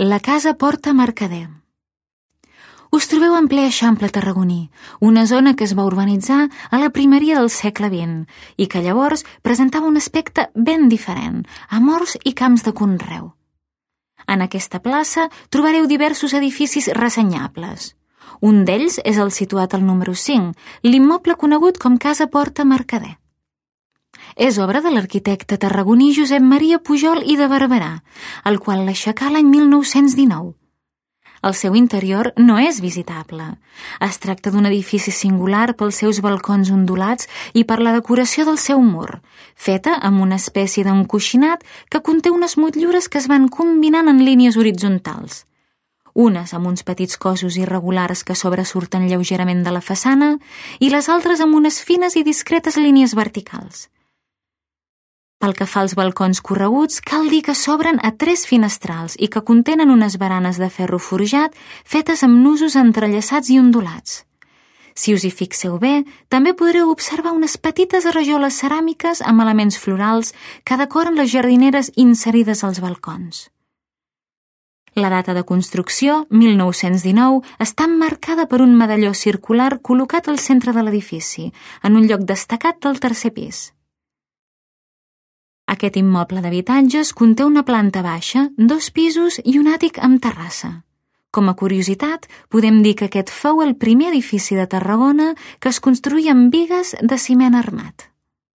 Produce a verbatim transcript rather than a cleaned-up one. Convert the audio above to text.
La casa porta Mercader. Us trobeu en ple Eixample tarragoní, una zona que es va urbanitzar a la primeria del segle vint i que llavors presentava un aspecte ben diferent, amb horts i camps de conreu. En aquesta plaça trobareu diversos edificis ressenyables. Un d'ells és el situat al número cinc, l'immoble conegut com Casa Porta Mercader. És obra de l'arquitecte tarragoní Josep Maria Pujol i de Barberà, el qual l'aixecà l'any mil nou-cents dinou. El seu interior no és visitable. Es tracta d'un edifici singular pels seus balcons ondulats i per la decoració del seu mur, feta amb una espècie d'encoixinat que conté unes motllures que es van combinant en línies horitzontals. Unes amb uns petits cossos irregulars que sobresurten lleugerament de la façana i les altres amb unes fines i discretes línies verticals. Pel que fa als balcons correguts, cal dir que s'obren a tres finestrals i que contenen unes baranes de ferro forjat fetes amb nusos entrellaçats i ondulats. Si us hi fixeu bé, també podreu observar unes petites rajoles ceràmiques amb elements florals que decoren les jardineres inserides als balcons. La data de construcció, mil nou-cents dinou, està emmarcada per un medalló circular col·locat al centre de l'edifici, en un lloc destacat del tercer pis. Aquest immoble d'habitatges conté una planta baixa, dos pisos i un àtic amb terrassa. Com a curiositat, podem dir que aquest fou el primer edifici de Tarragona que es construïa amb bigues de ciment armat.